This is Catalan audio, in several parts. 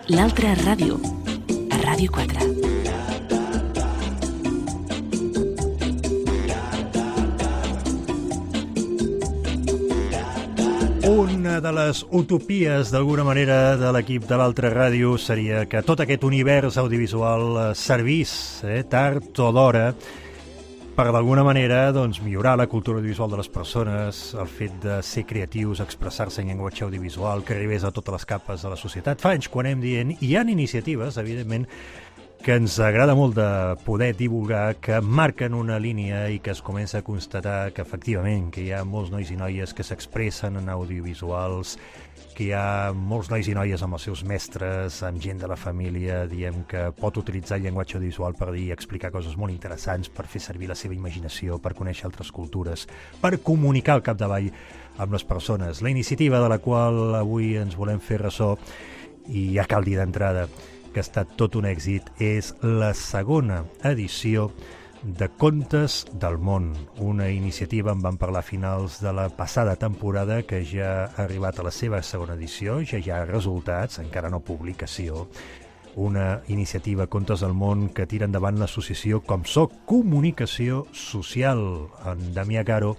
L'altra ràdio, a Ràdio 4. Una de les utopies, d'alguna manera, de l'equip de l'altra ràdio seria que tot aquest univers audiovisual servís, tard o d'hora, per d'alguna manera millorar la cultura audiovisual de les persones, el fet de ser creatius, expressar-se en llenguatge audiovisual, que arribés a totes les capes de la societat. Fa anys quan anem dient, hi ha iniciatives, evidentment, que ens agrada molt de poder divulgar, que marquen una línia i que es comença a constatar que efectivament que hi ha molts nois i noies que s'expressen en audiovisuals, que hi ha molts nois i noies amb els seus mestres, amb gent de la família, diem que pot utilitzar el llenguatge audiovisual per dir i explicar coses molt interessants, per fer servir la seva imaginació, per conèixer altres cultures, per comunicar al capdavall amb les persones. La iniciativa de la qual avui ens volem fer ressò, i ja cal dir d'entrada que ha estat tot un èxit, és la segona edició de Contes del Món, una iniciativa, en vam parlar a finals de la passada temporada, que ja ha arribat a la seva segona edició, ja hi ha resultats, encara no publicació, una iniciativa Contes del Món que tira endavant l'associació ComSoc Comunicació Social. En Damià Caro,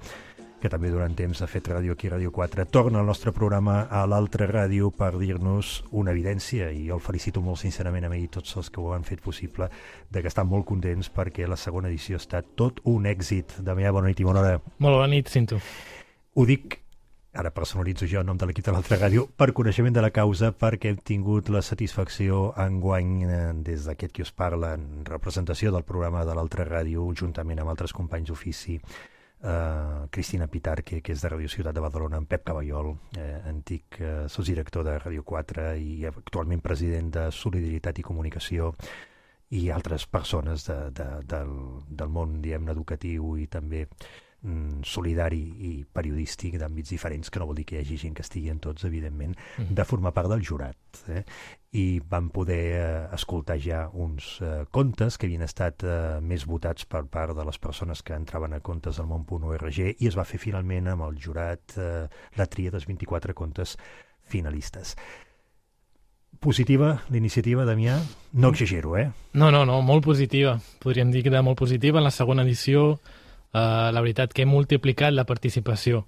que també durant temps ha fet ràdio aquí a Ràdio 4, torna al nostre programa a l'altra ràdio per dir-nos una evidència, i jo el felicito molt sincerament a mi i tots els que ho han fet possible, de que estan molt contents perquè la segona edició ha estat tot un èxit. Damià, bona nit i bona hora. Molt bona nit, Cinto. Ho dic, ara personalitzo jo en nom de l'equip de l'altra ràdio, per coneixement de la causa, perquè hem tingut la satisfacció enguany des d'aquest qui us parla, en representació del programa de l'altra ràdio, juntament amb altres companys d'ofici, Cristina Pitar, que és de Ràdio Ciutat de Badalona, en Pep Caballol, antic sotsdirector de Ràdio 4 i actualment president de Solidaritat i Comunicació, i altres persones del món, diguem-ne, educatiu i també solidari i periodístic d'àmbits diferents, que no vol dir que hi hagi gent que estigui en tots, evidentment, de formar part del jurat. I vam poder escoltar ja uns contes que havien estat més votats per part de les persones que entraven a contesdelmón.org, i es va fer finalment amb el jurat la tria dels 24 contes finalistes. Positiva l'iniciativa, Damià? No exagero, No, molt positiva. Podríem dir que era molt positiva. En la segona edició, la veritat que hem multiplicat la participació,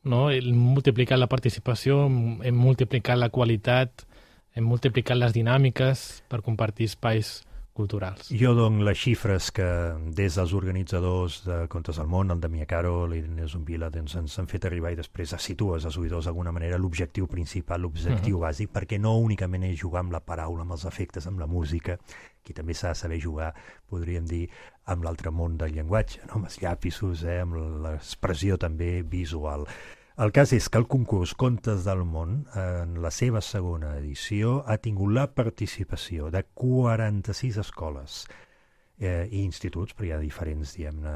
no? Hem multiplicat la participació, hem multiplicat la qualitat, hem multiplicat les dinàmiques per compartir espais culturals. Jo dono les xifres que des dels organitzadors de Contes del Món, el Damià Caro, l'Irene Zumbila, ens han fet arribar, i després situes als oïdors d'alguna manera l'objectiu principal, l'objectiu bàsic, perquè no únicament és jugar amb la paraula, amb els efectes, amb la música, qui també s'ha de saber jugar, podríem dir, amb l'altre món del llenguatge, no? Amb els llapisos, amb l'expressió també visual. El cas és que el concurs Contes del Món, en la seva segona edició, ha tingut la participació de 46 escoles i instituts, però hi ha diferents, diguem-ne,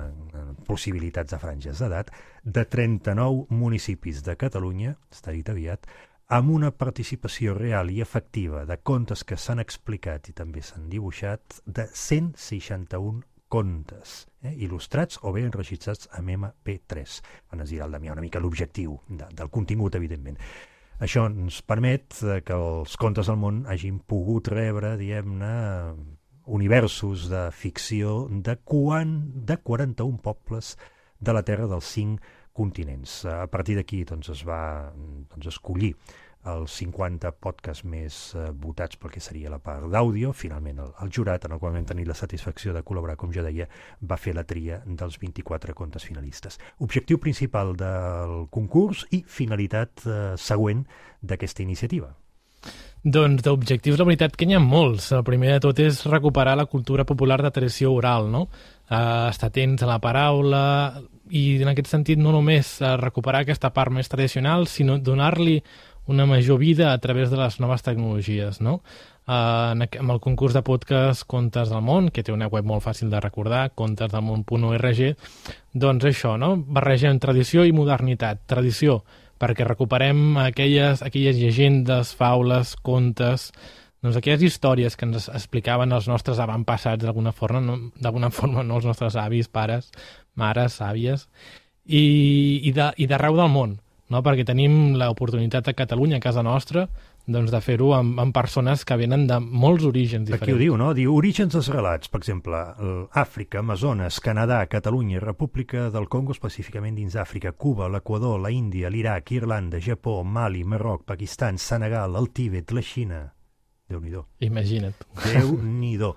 possibilitats de franges d'edat, de 39 municipis de Catalunya, està dit aviat, amb una participació real i efectiva de contes que s'han explicat i també s'han dibuixat, de 161 contes, il·lustrats o bé enregistrats amb MP3. Ens dirà el Damià una mica l'objectiu del contingut, evidentment. Això ens permet que els Contes del Món hagin pogut rebre, diguem-ne, universos de ficció de 41 pobles de la Terra dels 5 continents. A partir d'aquí es va escollir els 50 podcasts més votats pel que seria la part d'àudio. Finalment el jurat, en el qual vam tenir la satisfacció de col·laborar, com jo deia, va fer la tria dels 24 contes finalistes. Objectiu principal del concurs i finalitat següent d'aquesta iniciativa. Doncs d'objectius, la veritat que n'hi ha molts. El primer de tot és recuperar la cultura popular de tradició oral, no? Estar atents a la paraula, i en aquest sentit no només recuperar aquesta part més tradicional, sinó donar-li una major vida a través de les noves tecnologies, no? Amb el concurs de podcast Contes del Món, que té una web molt fàcil de recordar, contesdelmón.org, doncs això, no? Barregem tradició i modernitat. Tradició, perquè recuperem aquelles llegendes, faules, contes, doncs aquelles històries que ens explicaven els nostres avantpassats d'alguna forma, no els nostres avis, pares, mares, àvies, i d'arreu del món, no? Perquè tenim l'oportunitat a Catalunya, a casa nostra, doncs, de fer-ho amb persones que venen de molts orígens diferents. Aquí ho diu, no? Diu orígens dels relats, per exemple, Àfrica, Amazones, Canadà, Catalunya, República del Congo, específicament dins Àfrica, Cuba, l'Equador, la Índia, l'Iraq, Irlanda, Japó, Mali, Marroc, Pakistan, Senegal, el Tíbet, la Xina. Déu-n'hi-do. Imagina't. Déu-n'hi-do.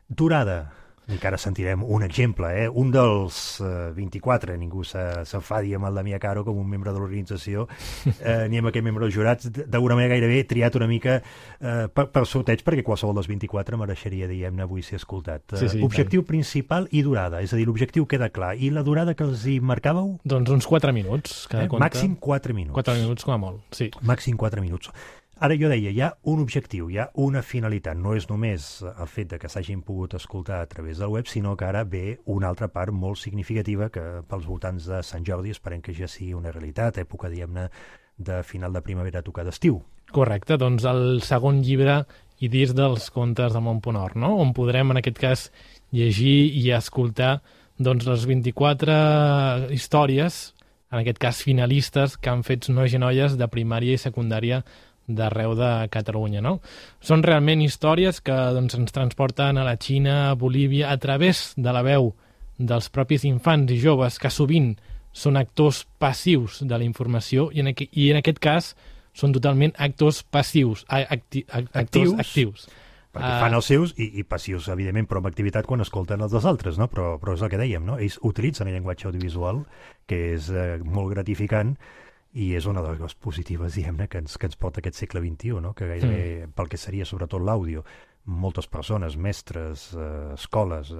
Durada. Encara sentirem un exemple, un dels 24, ningú s'enfadi amb el Damià Caro com un membre de l'organització, ni amb aquest membre dels jurats, d'alguna manera gairebé triat una mica per sorteig, perquè qualsevol dels 24 mereixeria, diguem-ne, avui ser escoltat. Sí, objectiu principal i durada, és a dir, l'objectiu queda clar. I la durada que els hi marcàveu? Doncs uns 4 minuts, cada conte. Màxim 4 minuts. 4 minuts com a molt, sí. Màxim 4 minuts. Ara jo deia, hi ha un objectiu, hi ha una finalitat. No és només el fet de que s'hagin pogut escoltar a través del web, sinó que ara ve una altra part molt significativa que pels voltants de Sant Jordi esperem que ja sigui una realitat, època, diguem-ne, de final de primavera a tocar d'estiu. Correcte, doncs el segon llibre i disc dels contes del Mont-Ponor, no? On podrem, en aquest cas, llegir i escoltar doncs, les 24 històries, en aquest cas finalistes, que han fet nois i noies de primària i secundària d'arreu de Catalunya, no? Són realment històries que doncs, ens transporten a la Xina, a Bolívia, a través de la veu dels propis infants i joves, que sovint són actors passius de la informació i en aquest cas són totalment actors passius, actors actius. Perquè fan els seus i passius, evidentment, però amb activitat quan escolten els dels altres, no? Però és el que dèiem, no? Ells utilitzen el llenguatge audiovisual, que és molt gratificant, i és una de les coses positives, diguem-ne, que ens porta aquest segle XXI, no? Que gairebé, pel que seria sobretot l'àudio, moltes persones, mestres, escoles,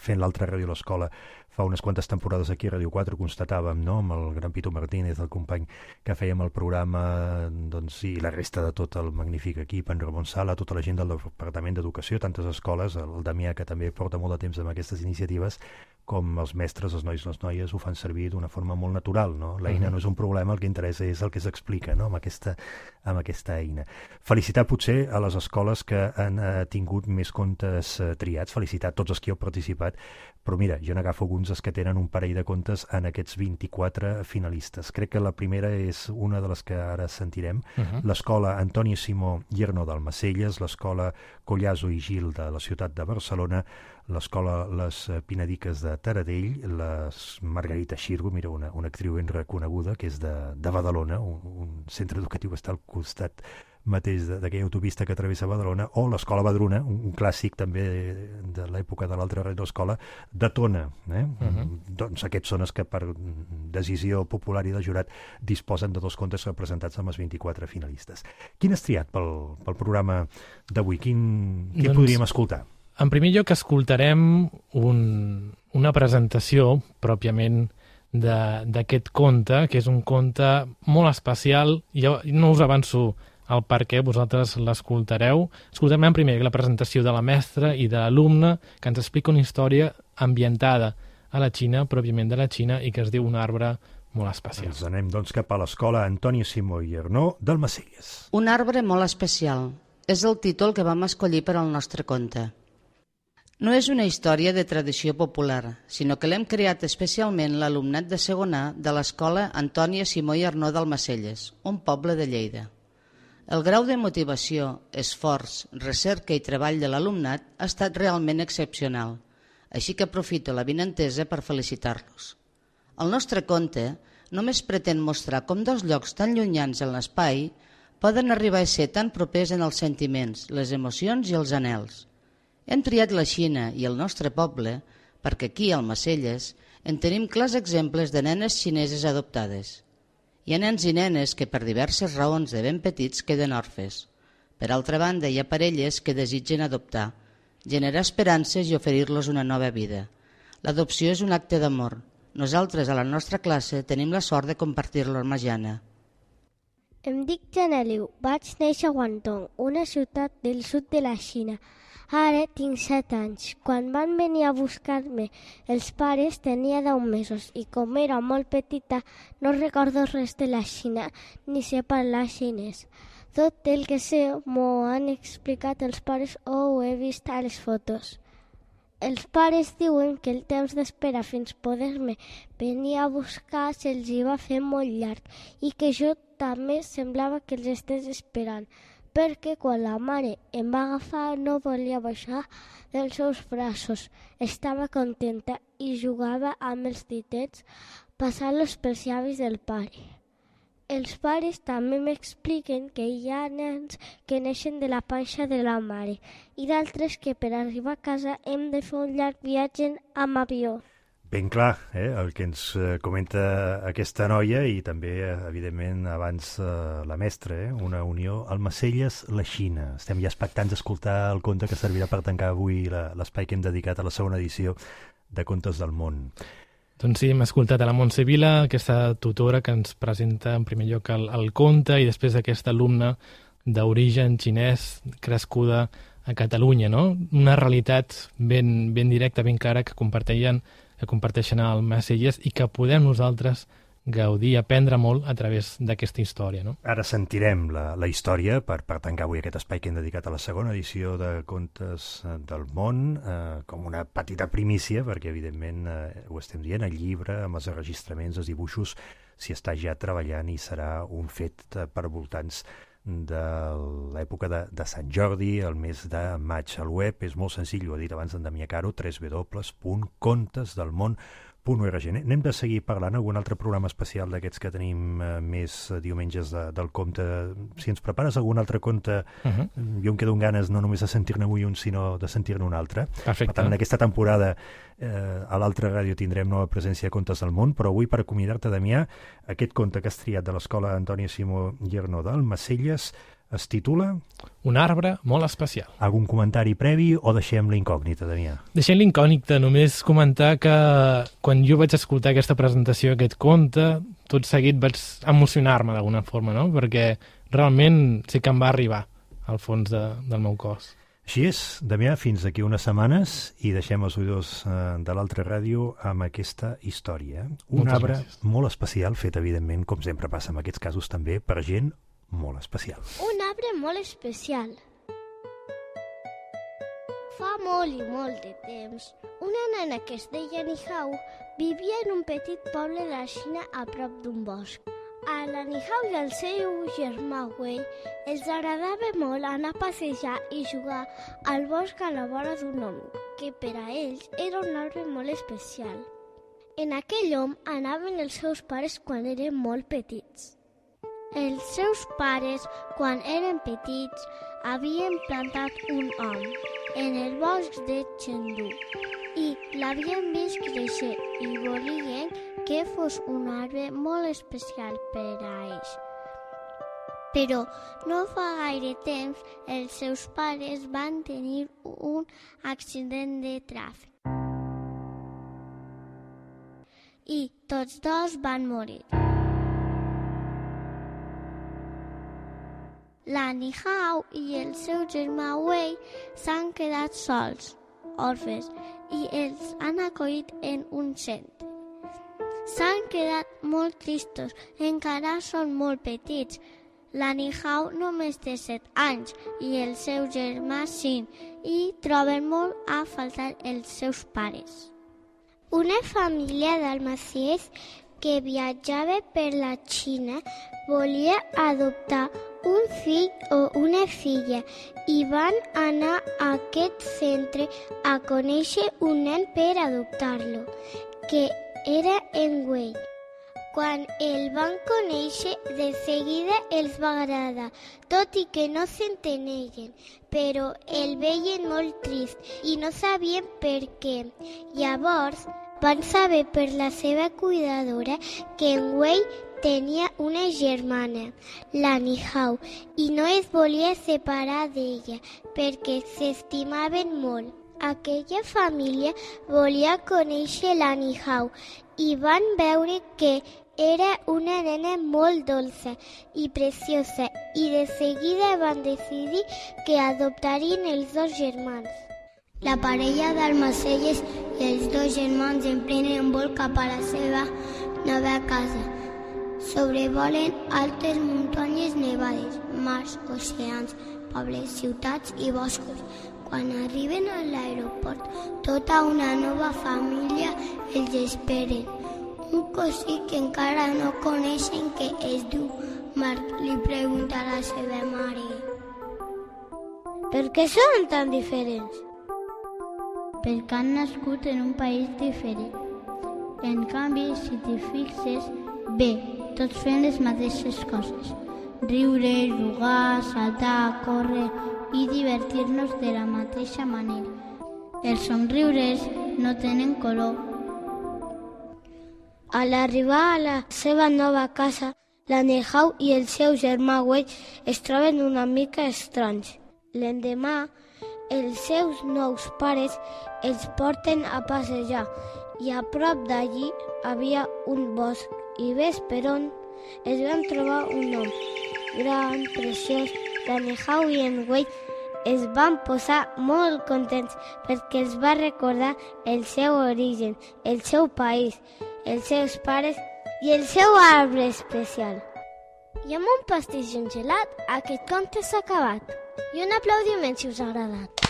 fent l'altra ràdio a l'escola, fa unes quantes temporades aquí a Ràdio 4 constatàvem, no?, amb el gran Pitu Martínez, el company que fèiem el programa, doncs, i la resta de tot el magnífic equip, en Ramon Sala, tota la gent del Departament d'Educació, tantes escoles, el Damià, que també porta molt de temps amb aquestes iniciatives, com els mestres, els nois i les noies ho fan servir d'una forma molt natural, no? L'eina no és un problema, el que interessa és el que s'explica, no?, amb aquesta eina. Felicitar potser a les escoles que han tingut més contes triats, felicitar tots els que heu participat, però mira, jo n'agafo alguns els que tenen un parell de contes en aquests 24 finalistes. Crec que la primera és una de les que ara sentirem, l'escola Antoni Simó i Arnó d'Almacelles, l'escola Collazo i Gil de la ciutat de Barcelona, l'escola Les Pinediques de Taradell, la Margarita Xirgo, mira, una actriu ben reconeguda, que és de Badalona, un centre educatiu que està al costat mateix d'aquella autopista que travessa Badalona, o l'escola Badruna, un clàssic també de l'època de l'altra radioescola, de Tona. Doncs aquests són els que per decisió popular i del jurat disposen de 2 contes representats amb els 24 finalistes. Quin has triat pel programa d'avui? Quin podríem escoltar? En primer lloc escoltarem una presentació pròpiament d'aquest conte, que és un conte molt especial. Jo no us avanço el per què, vosaltres l'escoltareu. Escoltarem primer la presentació de la mestra i de l'alumne, que ens explica una història ambientada a la Xina, pròpiament de la Xina, i que es diu Un arbre molt especial. Ens anem, doncs, cap a l'escola Antoni Simó i Arnó d'Almacelles. Un arbre molt especial. És el títol que vam escollir per al nostre conte. No és una història de tradició popular, sinó que l'hem creat especialment l'alumnat de segon A de l'escola Antònia Simó i Arnó d'Almacelles, un poble de Lleida. El grau de motivació, esforç, recerca i treball de l'alumnat ha estat realment excepcional, així que aprofito la vinentesa per felicitar-los. El nostre conte només pretén mostrar com 2 llocs tan llunyans en l'espai poden arribar a ser tan propers en els sentiments, les emocions i els anhels. Hem triat la Xina i el nostre poble perquè aquí, al Almacelles, en tenim clars exemples de nenes xineses adoptades. Hi ha nens i nenes que per diverses raons de ben petits queden orfes. Per altra banda, hi ha parelles que desitgen adoptar, generar esperances i oferir-los una nova vida. L'adopció és un acte d'amor. Nosaltres, a la nostra classe, tenim la sort de compartir-lo amb la Jana. Em dic Janeliu, vaig néixer a Guangdong, una ciutat del sud de la Xina. Ara tinc 7 anys. Quan van venir a buscar-me els pares tenia 10 mesos i com era molt petita no recordo res de la Xina ni sé parlar xinès. Tot el que sé m'ho han explicat els pares o ho he vist a les fotos. Els pares diuen que el temps d'espera fins poder-me venir a buscar se'ls hi va fer molt llarg i que jo també semblava que els estés esperant. perquè quan la mare em va agafar no volia baixar dels seus braços. Estava contenta i jugava amb els ditets passant-los pels llavis del pare. Els pares també m'expliquen que hi ha nens que neixen de la panxa de la mare i d'altres que per arribar a casa hem de fer un llarg viatge amb avió. Ben clar, el que ens comenta aquesta noia i també, evidentment, abans la mestra, una unió Almacelles-La Xina. Estem ja expectants d'escoltar el conte que servirà per tancar avui l'espai que hem dedicat a la segona edició de Contes del Món. Doncs sí, hem escoltat a la Montse Vila, aquesta tutora que ens presenta en primer lloc el conte i després aquesta alumna d'origen xinès crescuda a Catalunya, no? Una realitat ben directa, ben clara que comparteixen a Almacelles i que podem nosaltres gaudir, aprendre molt a través d'aquesta història, no? Ara sentirem la història per tancar avui aquest espai que hem dedicat a la segona edició de Contes del Món, com una petita primícia, perquè evidentment ho estem dient, el llibre, amb els enregistraments, els dibuixos, s'hi està ja treballant i serà un fet per voltants de l'època de Sant Jordi, el mes de maig. El web és molt senzill, ho ha dit abans en Damià Caro, www.contesdelmón.org. Anem de seguir parlant algun altre programa especial d'aquests que tenim més diumenges del conte. Si ens prepares algun altre conte, jo em quedo amb ganes no només de sentir-ne avui un, sinó de sentir-ne un altre. Perfecte. Per tant, en aquesta temporada a l'altra ràdio tindrem nova presència de Contes del Món, però avui, per acomiadar-te, Damià, aquest conte que has triat de l'Escola Antònia Simó Llerno d'Almacelles es titula... Un arbre molt especial. Algun comentari previ o deixem l'incògnita, Damià? Deixem l'incògnita, només comentar que quan jo vaig escoltar aquesta presentació, aquest conte, tot seguit vaig emocionar-me d'alguna forma, no? Perquè realment sí que em va arribar al fons del meu cos. Així és, Damià, fins d'aquí unes setmanes i deixem els oïdors de l'altra ràdio amb aquesta història. Un arbre molt especial, fet evidentment, com sempre passa en aquests casos també, per gent molt especial. Un arbre molt especial. Fa molt i molt de temps, una nena que es deia Nihao vivia en un petit poble de la Xina a prop d'un bosc. A la Nihao i al seu germà Wei els agradava molt anar a passejar i jugar al bosc a la vora d'un hom, que per a ells era un arbre molt especial. En aquell hom anaven els seus pares quan eren molt petits. Els seus pares, quan eren petits, havien plantat un hom en el bosc de Chengdu i l'havien vist créixer i volien que fos un arbre molt especial per a ells. Però no fa gaire temps els seus pares van tenir un accident de tràfic i tots dos van morir. La Nihao i el seu germà Wei s'han quedat sols, orfes, i els han acollit en un centre. S'han quedat molt tristos, encara són molt petits. La Nihao només té 7 anys i el seu germà 5 i troben molt a faltar els seus pares. Una família d'almacers que viatjava per la Xina volia adoptar un fill o una filla i van anar a aquest centre a conèixer un nen per adoptar-lo, que era en Wei. Quan el van conèixer, de seguida els va agradar, tot i que no s'entenien, però el veien molt trist i no sabien per què. Llavors van saber per la seva cuidadora que en Wei tenia una germana, la Nihao, i no es volia separar d'ella perquè s'estimaven molt. Aquella família volia conèixer la Nihao i van veure que era una nena molt dolça i preciosa i de seguida van decidir que adoptarien els dos germans. La parella d'Almacelles i els dos germans emprenen un vol cap a la seva nova casa. Sobrevolen altes muntanyes nevades, mars, oceans, pobles, ciutats i boscos. Quan arriben a l'aeroport, tota una nova família els esperen. Un cosí que encara no coneixen, que es diu Marc, li pregunta a la seva mare: Per què són tan diferents? Perquè han nascut en un país diferent. En canvi, si t'hi fixes, bé, tots fem les mateixes coses. Riure, jugar, saltar, córrer i divertir-nos de la mateixa manera. Els somriures no tenen color. A l'arribar a la seva nova casa, la Nehau i el seu germà Wei es troben una mica estranys. L'endemà, els seus nous pares els porten a passejar i a prop d'allí havia un bosc i ves per on es van trobar un home gran, preciós. La Nehau i en Wei es van posar molt contents perquè els va recordar el seu origen, el seu país, els seus pares i el seu arbre especial. I amb un pastís i un gelat, aquest conte s'ha acabat. I un aplaudiment si us ha agradat.